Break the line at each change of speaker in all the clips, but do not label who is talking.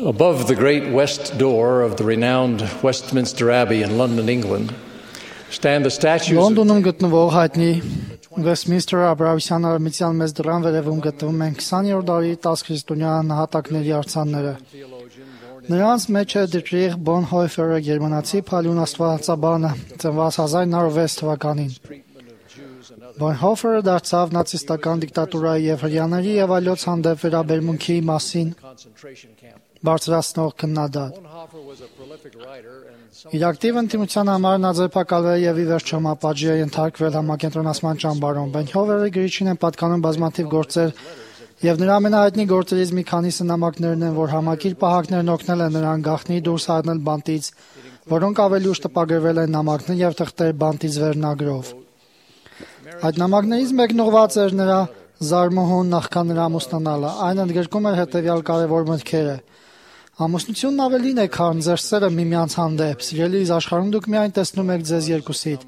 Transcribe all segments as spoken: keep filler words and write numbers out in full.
Above the great west door of the renowned Westminster Abbey in London, England, stand the statues of
Լոնդոնում գտնվող հայտնի Westminster Աբրահամյան արմատյան մեծ դռան վերևում գտնվում են քսաներորդ դարի տասնքրիստոնյա նահատակների արձանները։ Նրանց մեջ է Դիտրիխ Բոնհոյֆերը, գերմանացի փալուն աստվածաբանը, ծնված հազար նավը վեց թվականին։ Բոնհոյֆերը դարձավ նացիստական դիկտատուրայի եւ հրեաների եւ այլոց հանդեպ վերաբերմունքի մասին բարձրացնող քննադատ։ Իր ակտիվ ընդդիմության համար նա ձերբակալվել եւ ի վերջո մապաճի է ենթարկվել համակենտրոնացման ճամբարում։ Բոնհոյֆերի գրիչին են պատկանում բազմաթիվ գործեր եւ նրա ամենահայտնի գործերից մի քանիսը նամակներն են, որ համակիր պահակներն օգնել են նրան գաղտնի դուրս հանել բանտից, որոնք ավելի ուշ տպագրվել են նամակներ եւ թղթեր բանտից վերնագրով։ Այդ նամակներից մեկն ուղղված էր նրա զարմուհուն նախքան նրա ամուսնանալը։ Այն ընդգրկում էր հետեւյալ կարևոր մտքերը. Ամուսնությունն ավելին է, քան ձեր սերը միմյանց հանդեպ։ Սիրելիս, աշխարհում դուք միայն տեսնում եք ձեզ երկուսիդ։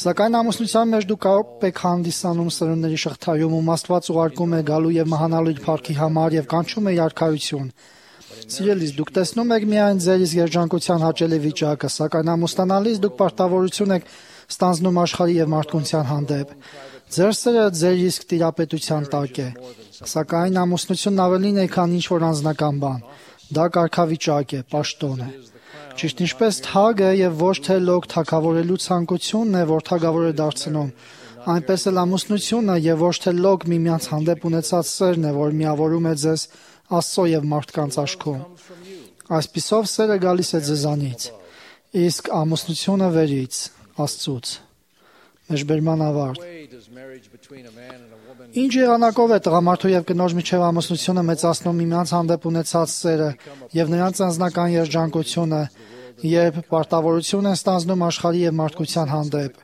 Սակայն ամուսնության մեջ դուք կարող եք հանդիսանում սերունդների շղթայում, ում Աստված ուղարկում է գալու եւ մահանալու իր փառքի համար եւ կանչում է իր արքայություն։ Սիրելիս, դուք տեսնում եք միայն ձեր իսկ երջանկության հաճելի վիճակը, սակայն ամուսնանալիս դուք պարտավորություն եք ստանձնում աշխարհի եւ մարդկության հանդեպ։ Ձեր սերը ձեր իսկ տիրապետության տակ է։ Սակայն ամուսնությունն ավելին է, քան ինչ որ անձնական բան։ Դա կարգավիճակ է, պաշտոն է։ Ճիշտ ինչպես թագը եւ ոչ թե լոկ թագավորելու ցանկությունն է, որ թագավոր է դարձնում, այնպես էլ ամուսնությունը եւ ոչ թե լոկ միմյանց հանդեպ ունեցած սերն է, որ միավորում է ձեզ Աստծո եւ մարդկանց աշխում։ Այսպիսով սերը գալիս է ձեզանից, իսկ ամուսնությունը վերից, Աստծուց։ Մեջբերման ավարտ։ Ինչ եղանակով է տղամարդու եւ կնոջ միջև ամուսնությունը մեծացնում միմյանց հանդեպ ունեցած սերը եւ նրանց անձնական երջանկությունը, երբ պարտավորություն են ստանձնում աշխարհի եւ մարդկության հանդեպ։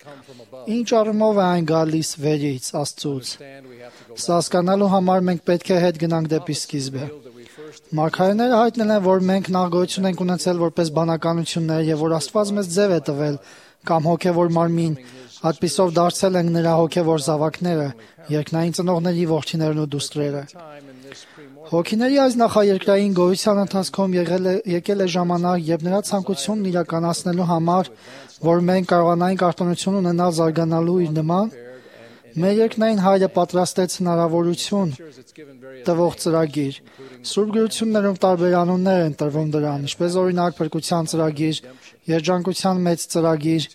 Ինչ առումով է այն գալիս վերից, Աստծուց։ Սա հասկանալու համար մենք պետք է հետ գնանք դեպի սկիզբը։ Մարգարեները հայտնել են, որ մենք նախ գոյություն ենք ունեցել որպես բանականություններ եւ որ Աստված մեզ ձև է տվել կամ հոգեվոր մարմին, այդպիսով դարձել ենք նրա հոգեվոր զավակները, երկնային ծնողների որդիներն ու դուստրերը։ Հոգիների այս նախաերկրային գոյության ընթացքում եղել է եկել է ժամանակ, երբ նրա ցանկությունն իրականացնելու համար, որ մենք կարողանայինք արտոնություն ունենալ զարգանալու իր նման, մեր երկնային Հայրը պատրաստեց հնարավորություն տվող ծրագիր։ Սուրբ գրություններում տարբեր անուններ են տրվում դրան, ինչպես օրինակ փրկության ծրագիր, երջանկության մեծ ծրագիր,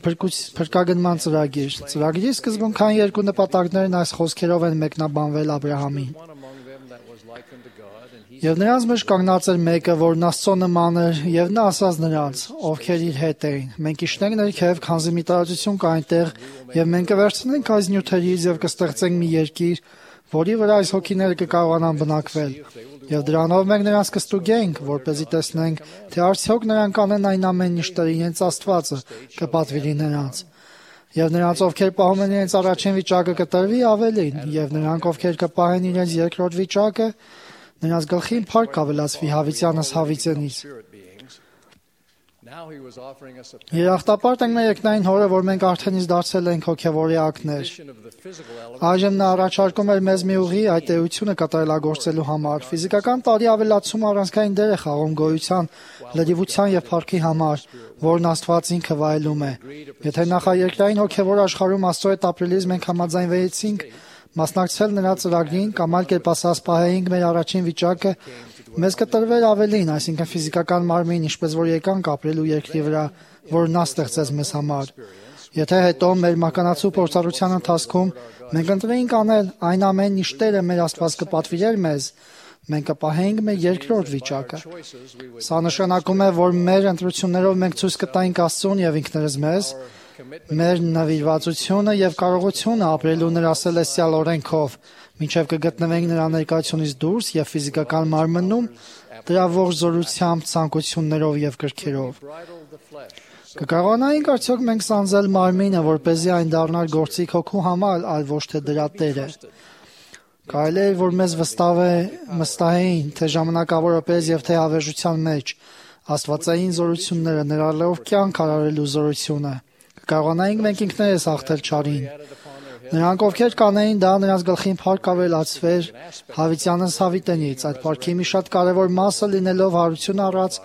փրկագնման ծրագիր։ Ծրագրի սկզբունքային երկու նպատակներն այս խոսքերով են մեկնաբանվել Աբրահամին։ Եվ նրանց մեջ կանգնած էր մեկը, որն Աստծո նման էր, եւ նա ասաց նրանց, ովքեր իր հետ էին. մենք իշտենք ներքև, քանզի մի տարածություն կա այնտեղ, եւ մենք կվերցնենք այս նյութերից եւ կստեղծենք մի երկիր, որի վրա այս հոգիները կկարողանան բնակվել։ Եվ դրանով մենք նրանց կստուգենք, որպեսզի տեսնենք, թե արդյոք նրանք կանեն այն ամենն, ինչ Տեր իրենց Աստվածը կպատվիրի նրանց։ Եվ նրանց, ովքեր պահում են իրենց առաջին վիճակը, կտրվի ավելին, եւ նրանք, ովքեր կպահեն իրենց երկրորդ վիճակը, նրանց գլխին փառք ավելացվի հավիտյանս հավիտենից։ Երախտապարտ ենք մեր երկնային Հորը, որ մենք արդեն իսկ դարձել ենք հոգևոր էակներ։ Այժմ նա առաջարկում էր մեզ մի ուղի այդ էությունը կատարելագործելու համար։ Ֆիզիկական տարի ավելացումը առանցքային դեր է խաղում գոյության, լրիվության եւ փառքի համար, որն Աստված ինքը վայելում է։ Եթե նախաերկրային հոգևոր աշխարհում Աստծո հետ ապրելիս մենք համաձայնվեցինք մասնակցել նրա ծրագրին կամ այլ կերպ ասած պահեինք մեր առաջին վիճակը, մեզ կտրվեր ավելին, այսինքն ֆիզիկական մարմին, ինչպես որ եկանք ապրելու երկրի վրա, որ նա ստեղծեց մեզ համար։ Եթե հետո մեր մականացու փորձառության ընթացքում մենք ընտրեինք անել այն ամենն, ինչ Տերը մեր Աստված կպատվիրեր մեզ, մենք կպահեինք մեր երկրորդ վիճակը։ Սա նշանակում է, որ մեր ընտրություններով մենք ցույց կտայինք Աստծուն եւ ինքներս մեզ մեր նվիրվածությունը եւ կարողությունը ապրելու նրա սելեստիալ օրենքով, մինչեւ կգտնվենք նրա ներկայությունից դուրս եւ ֆիզիկական մարմնում, դրա ողջ զորությամբ, ցանկություններով եւ կրքերով։ Կկարողանայինք արդյոք մենք սանձել մարմինը, որպեսզի այն դառնար գործիք հոգու համար, այլ ոչ թե դրա տերը։ Կարելի է, որ մեզ վստահ է մստահեին, թե ժամանակավորապես եւ թե հավերժության մեջ աստվածային զորությունները ներառելով կյանք արարելու զորությունը։ Կարողանայինք մենք ինքներս հաղթել չարին, Նրանք, ովքեր կանեին դա, նրանց գլխին փառք ավելացվեր հավիտյանս հավիտենից, այդ փառքի մի շատ կարևոր մասը լինելով հարություն առած,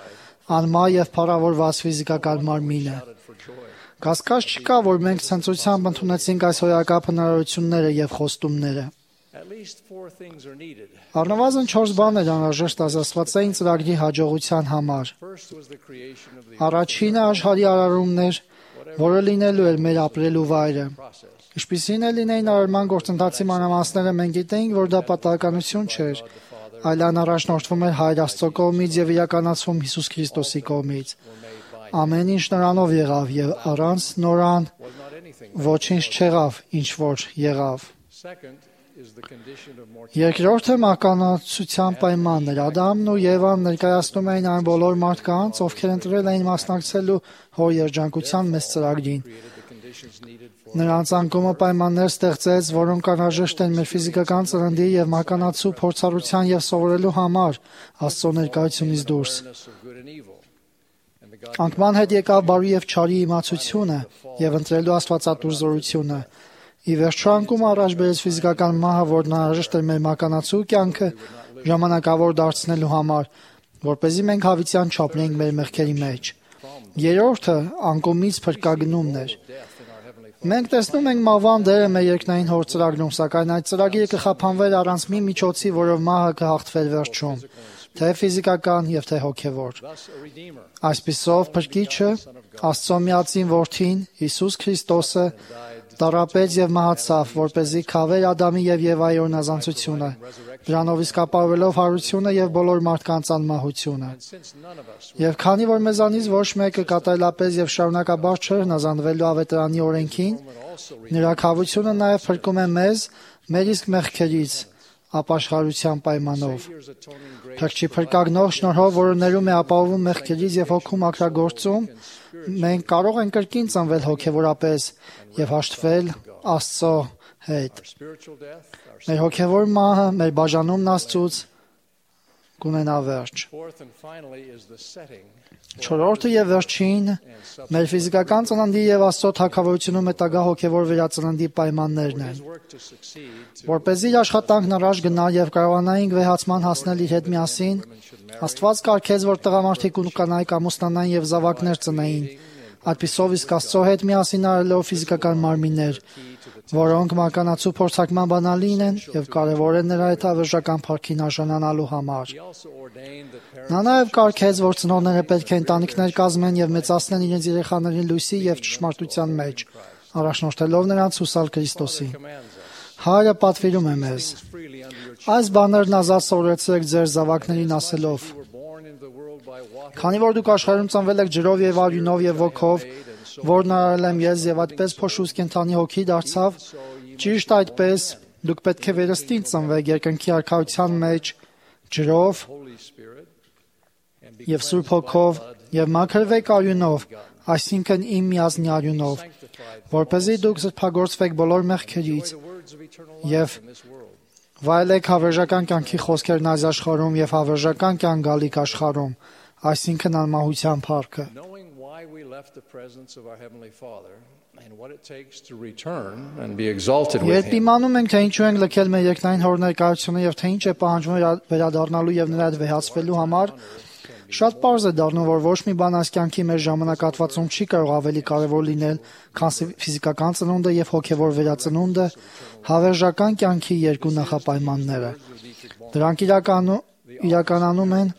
անմա եւ փառավորված ֆիզիկական մարմինը։ Կասկած չկա, որ մենք ցնծությամբ ընդունեցինք այս հոյակապ հնարավորությունները եւ խոստումները։ Առնվազն չորս բաներ անհրաժեշտ Աստվածային ծրագրի հաջողության համար։ Առաջինը աշխարհի արարումն էր, որը լինելու էր մեր ապրելու վայրը։ Ինչպիսին է լինեին արարման գործընթացի մանրամասները, մենք գիտեինք, որ դա պատահականություն չէր, այլ այն առաջնորդվում էր Հայր Աստծո կողմից եւ իրականացվում Հիսուս Քրիստոսի կողմից։ Ամեն ինչ նրանով եղավ եւ առանց նորան ոչինչ չեղավ, ինչ որ եղավ։ Երկրորդը մահկանացության պայմանն էր։ Ադամն ու Եվան ներկայացնում էին այն բոլոր մարդկանց, ովքեր ընտրել էին մասնակցելու հոր երջանկության մեծ ծրագրին։ Նրանց անկումը պայմաններ ստեղծեց, որոնք անհրաժեշտ են մեր ֆիզիկական ծննդի եւ մահկանացու փորձառության եւ սովորելու համար Աստծո ներկայությունից դուրս։ Անկման հետ եկավ բարի եւ չարի իմացությունը եւ ընտրելու աստվածատուր զորությունը։ Ի վերջո անկումը առաջ բերեց ֆիզիկական մահը, որն անհրաժեշտ էր մեր մահկանացու կյանքը ժամանակավոր դարձնելու համար, որպեսզի մենք հավիտյան չապրենք մեր մեղքերի մեջ։ Երրորդը անկումից փրկագնումն էր։ Մենք տեսնում ենք մահվան դերը մեր երկնային հոր ծրագրում, սակայն այդ ծրագիրը կխափանվեր առանց մի միջոցի, որով մահը կհաղթվեր վերջում, թե ֆիզիկական եւ թե հոգեվոր։ Այսպիսով փրկիչը, Աստծո միածին որդին, Հիսուս Քրիստոսը, տառապեց եւ մահացավ, որպեսզի քավեր Ադամի եւ Եվայի օրնազանցությունը, դրանով իսկ ապահովելով հարությունը եւ բոլոր մարդկանց անմահությունը։ Եվ քանի որ մեզանից ոչ մեկը կատարելապես եւ շարունակաբար չէր հնազանդվելու ավետարանի օրենքին, նրա քավությունը նաեւ փրկում է մեզ մեր իսկ մեղքերից ապաշխարության պայմանով։ Փրկչի փրկագնող շնորհով, որը ներում է ապահովում մեղքերից եւ հոգու մաքրագործում, մենք կարող ենք կրկին ծնվել հոգեվորապես եւ հաշտվել Աստծո հետ։ Մեր հոգեվոր մահը, մեր բաժանումն Աստծուց կունենա վերջ։ Չորրորդը եւ վերջին մեր ֆիզիկական ծննդի եւ Աստծո թագավորությունում հետագա հոգեվոր վերածննդի պայմաններն են։ Որպեսզի իր աշխատանքն առաջ գնա եւ կարողանայինք վեհացման հասնել իր հետ միասին, Աստված կարգեց, որ տղամարդիկ ու կանայք ամուսնանային եւ զավակներ ծնեին, այդպիսով իսկ Աստծո հետ միասին արելով ֆիզիկական մարմիններ, որոնք մահկանացու փորձարկման բանալին են եւ կարեւոր են նրա հետ հավերժական փառքին արժանանալու համար։ Նա նաեւ կարգեց, որ ծնողները պետք է ընտանիքներ կազմեն եւ մեծացնեն իրենց երեխաներին լույսի եւ ճշմարտության մեջ, առաջնորդելով նրանց հուսալ Քրիստոսի։ Հայրը պատվիրում է մեզ. այս բաներն ազատ սովորեցրեք ձեր զավակներին ասելով. քանի որ դուք աշխարհում ծնվել եք ջրով եւ արյունով եւ ոգով, որն արարել եմ ես եւ այդպես փոշուց կենդանի հոգի դարձավ, ճիշտ այդպես դուք պետք է վերստին ծնվեք երկնքի արքայության մեջ ջրով եւ Սուրբ Հոգով եւ մաքրվեք արյունով, այսինքն իմ միազնի արյունով, որպեսզի դուք զրփագործվեք բոլոր մեղքերից եւ վայելեք հավերժական կյանքի խոսքերն այս աշխարհում եւ հավերժական կյանք գալիք աշխարհում, այսինքն անմահության փառքը։ Երբ իմանում ենք, թե ինչու ենք լքել մեր երկնային հոր ներկայությունը եւ թե ինչ է պահանջվում վերադառնալու եւ նրա հետ վեհացվելու համար, շատ պարզ է դառնում, որ ոչ մի բան այս կյանքի մեր ժամանակահատվածում չի կարող ավելի կարևոր լինել, քան ֆիզիկական ծնունդը եւ հոգեվոր վերածնունդը, հավերժական կյանքի երկու նախապայմանները։ Դրանք իրականում իրականանում են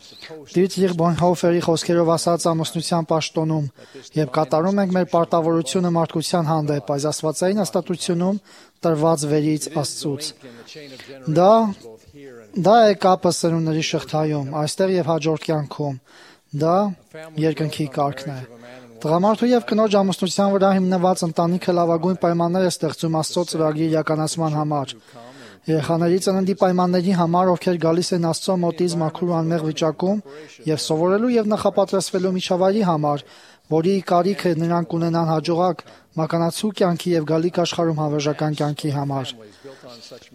Դիտրիխ Բոնհոֆերի խոսքերով ասած ամուսնության պաշտոնում եւ կատարում ենք մեր պարտավորությունը մարդկության հանդեպ այս աստվածային հաստատությունում տրված վերից Աստծուց։ Դա դա է կապը սերունդների շղթայում, այստեղ եւ հաջորդ կյանքում։ Դա երկնքի կարգն է։ Տղամարդու եւ կնոջ ամուսնության վրա հիմնված ընտանիքը լավագույն պայմաններ է ստեղծում Աստծո ծրագրի իրականացման համար։ Երեխաների ծննդի պայմանների համար, ովքեր գալիս են Աստծո մոտից մաքուր ու անմեղ վիճակում եւ սովորելու եւ նախապատրաստվելու միջավայրի համար, որի կարիքը նրանք ունենան հաջողակ մականացու կյանքի եւ գալիք աշխարհում հավերժական կյանքի համար։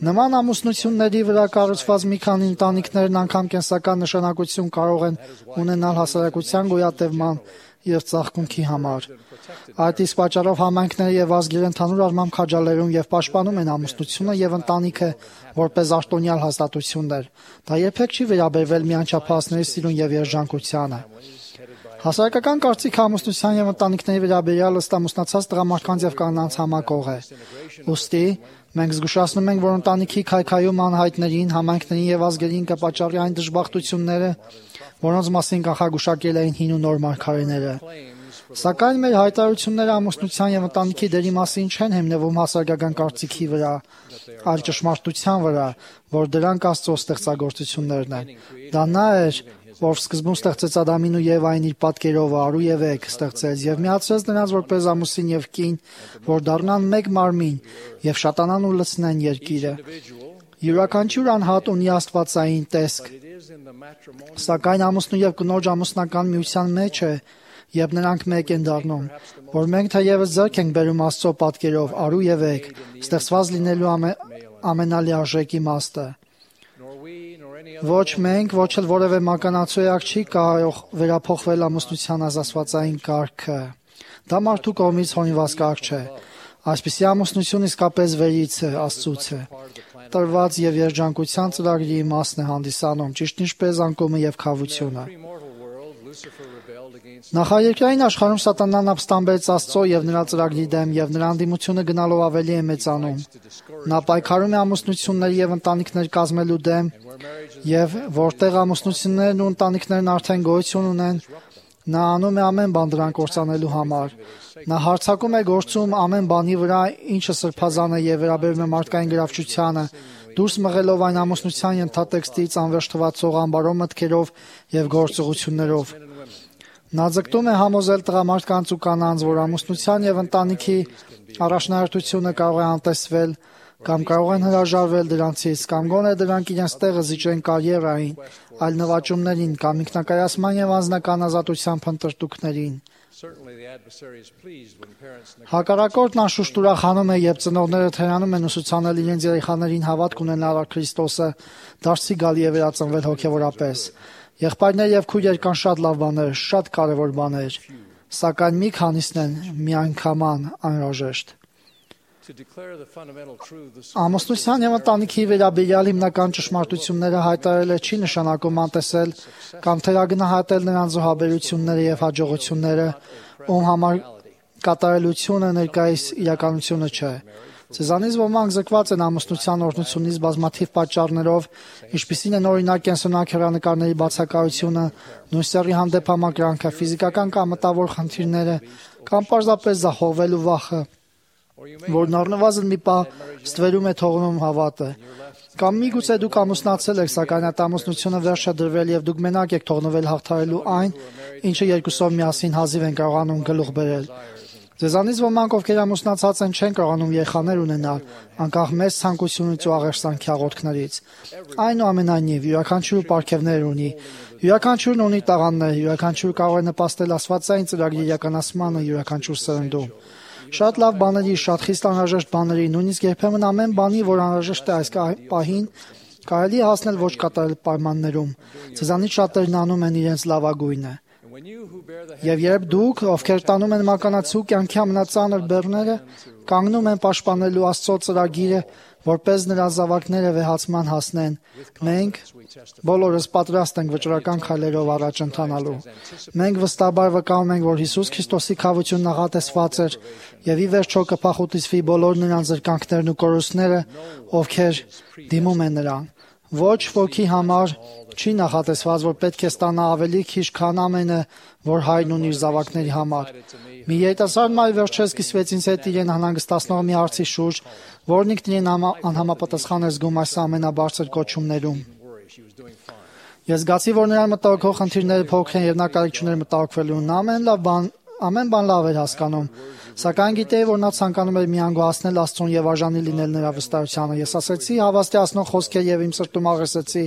Նման ամուսնությունների վրա կառուցված մի քանի ընտանիքներն անգամ կենսական նշանակություն կարող են ունենալ հասարակության գոյատևման եւ ծաղկունքի համար։ Այդ իսկ պատճառով համայնքները եւ ազգերը ընդհանուր առմամբ քաջալերում եւ պաշտպանում են ամուսնությունը եւ ընտանիքը որպես արտոնյալ հաստատություններ։ Դա երբեք չի վերաբերվել միանչափահասների սիրուն եւ երջանկությանը։ Հասարակական կարծիքը ամուսնության եւ ընտանիքների վերաբերյալ ըստ ամուսնացած տղամարդկանց եւ կանանց համակող է։ Ուստի մենք զգուշացնում ենք, որ ընտանիքի քայքայում անհայտներին, համայնքներին եւ ազգերին կպատճառի այն դժբախտությունները, որոնց մասին կանխագուշակել էին հին ու նոր մարգարեները։ Սակայն մեր հայտարարությունները ամուսնության եւ ընտանիքի դերի մասին չեն հիմնվում հասարակական կարծիքի վրա, այլ ճշմարտության վրա, որ դրանք Աստծո ստեղծագործություններն են։ Դա նա էր, որ սկզբում ստեղծեց Ադամին ու Եվային իր պատկերով արու եւ էգ ստեղծեց եւ միացրեց նրանց որպես ամուսին եւ կին, որ դառնան մեկ մարմին եւ շատանան ու լցնեն երկիրը։ Յուրաքանչյուր անհատ ունի աստվածային տեսք, սակայն ամուսնու եւ կնոջ ամուսնական միության մեջ է, երբ նրանք մեկ են դառնում, որ մենք թեևս ձեռք ենք բերում Աստծո պատկերով արու եւ էգ, ստեղծված լինելու ամե, ամենալիարժեք իմաստը։ Ոչ մենք, ոչ էլ որևէ մականացու էակ չի կարող վերափոխվել ամուսնության ազատվածային կարգը։ Դա մարդու կողմից հորինված կարգ չէ։ Այսպիսի ամուսնություն իսկապես վերից է, Աստծուց է։ Տրված եւ երջանկության ծրագրի իմաստն է հանդիսանում, ճիշտ ինչպես անկումը եւ քավությունը։ Նախաերկրային աշխարհում Սատանան ապստամբեց Աստծո եւ նրա ծրագրի դեմ եւ նրա անդիմությունը գնալով ավելի է մեծանում։ Նա պայքարում է ամուսնությունների եւ ընտանիքներ կազմելու դեմ եւ որտեղ ամուսնություններն ու ընտանիքներն արդեն գոյություն ունեն, նա անում է ամեն բան դրանք կործանելու համար։ Նա հարձակում է գործում ամեն բանի վրա, ինչը սրբազան է եւ վերաբերում է մարդկային գրավչությանը, դուրս մղելով այն ամուսնության ենթատեքստից անվերջ թվացող ամբարո մտքերով եւ գործողություններով։ Նա ձգտում է համոզել տղամարդկանց ու կանանց, որ ամուսնության եւ ընտանիքի առաջնահերթությունը կարող է անտեսվել կամ կարող են հրաժարվել դրանցից, կամ գոնե դրանք իրենց տեղը զիջեն կարիերային, այլ նվաճումներին կամ ինքնակայացման եւ անձնական ազատության փնտրտուքներին։ Հակառակորդն անշուշտ ուրախանում է, երբ ծնողները թերանում են ուսուցանել իրենց երեխաներին հավատք ունենալ Քրիստոսը, դարձի գալի է վերածնվել հոգեվորապես։ Եղբայրներ եւ քույրեր կան շատ լավ բաներ, շատ կարեւոր բաներ, սակայն մի քանիսն են միանգամայն անհրաժեշտ։ Ամուսնության եւ ընտանիքի վերաբերյալ հիմնական ճշմարտությունները հայտարարելը չի նշանակում անտեսել կամ թերագնահատել նրանց զոհաբերությունները եւ հաջողությունները, ում համար կատարելությունը ներկայիս իրականությունը չէ։ Սեզանից ոմանք զրկված են ամուսնության օրհնությունից բազմաթիվ պատճառներով, ինչպիսին են օրինակ կենսունակ հեռանկարների բացակայությունը, նույն սեռի հանդեպ համակրանքը, ֆիզիկական կամ մտավոր խնդիրները, կամ պարզապես զահողվելու վախը, որն առնվազն մի պահ ստվերում է թողնում հավատը։ Կամ միգուցե դուք ամուսնացել եք, սակայն այդ ամուսնությունը վերջ է դրվել եւ դուք մենակ եք թողնվել հաղթահարելու այն, ինչը երկուսով միասին հազիվ են կարողանում գլուխ բերել։ Ձեզանից ոմանք, ովքեր ամուսնացած են, չեն կարողանում երեխաներ ունենալ, անկախ մեծ ցանկությունից ու աղերսանքի աղոթքներից։ Այնուամենայնիվ, յուրաքանչյուրը պարգևներ ունի, յուրաքանչյուրն ունի տաղանդներ, յուրաքանչյուրը կարող է նպաստել աստվածային ծրագրի իրականացմանը յուրաքանչյուր սերնդում։ Շատ լավ բաների, շատ խիստ անհրաժեշտ բաների, նույնիսկ երբեմն ամեն բանի, որ անհրաժեշտ է այս պահին, կարելի է հասնել ոչ կատարել պայմաններում։ Ձեզանից շատերն անում են իրենց լավագույնը։ Եվ երբ դուք, ովքեր տանում են մականացու կյանքի ամենածանր բեռները, կանգնում են պաշտպանելու Աստծո ծրագիրը, որպես նրա զավակները վեհացման հասնեն, մենք բոլորս պատրաստ ենք վճռական քայլերով առաջ ընթանալու։ Մենք վստահաբար վկայում ենք, որ Հիսուս Քրիստոսի քավությունն նախատեսված էր եւ ի վերջո կփախուտիսվի բոլոր նրանց զրկանքներն ու կորուստները, ովքեր դիմում են նրան։ Ոչ ոքի համար չի նախատեսված, որ պետք է ստանա ավելի քիչ, քան ամենը, որ հայրն ունի իր զավակների համար։ Մի երիտասարդ մայր վերջերս կիսվեց ինձ հետ իրեն անհանգստացնող մի հարցի շուրջ, որն ինքն իրեն անհամապատասխան էր զգում այս ամենաբարձր կոչումներում։ Ես զգացի, որ նրան մտահոգող խնդիրները փոքր են եւ նա կարիք չուներ մտահոգվելու։ Նա ամեն լավ բան Ամեն բան լավ էր հասկանում, սակայն գիտեի, որ նա ցանկանում էր միանգ հասնել Աստծուն եւ արժանի լինել նրա վստահությանը։ Ես ասացի հավաստիացնող խոսքեր եւ իմ սրտում աղերսեցի,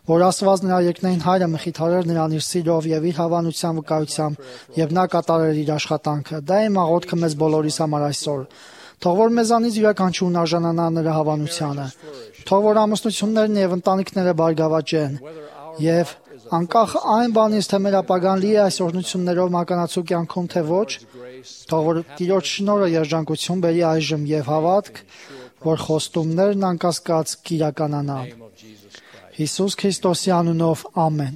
որ Աստված նրա երկնային հայրը մխիթարեր նրան իր սիրով եւ իր հավանության վկայությամբ, եւ նա կատարեր իր աշխատանքը։ Դա իմ աղոթքը մեզ բոլորիս համար այսօր։ Թող որ մեզանից յուրաքանչյուրն արժանանա նրա հավանությանը։ Թող որ ամուսնություններն եւ ընտանիքները բարգավաճեն։ Եվ անկախ այն բանից, թե մեր ապագան լի է այս օրհնություններով մականացու կյանքում, թե ոչ, թող որ Տիրոջ շնորհը երջանկություն բերի այժմ եւ հավատք, որ խոստումներն անկասկած կիրականանան։ Հիսուս Քրիստոսի անունով ամեն։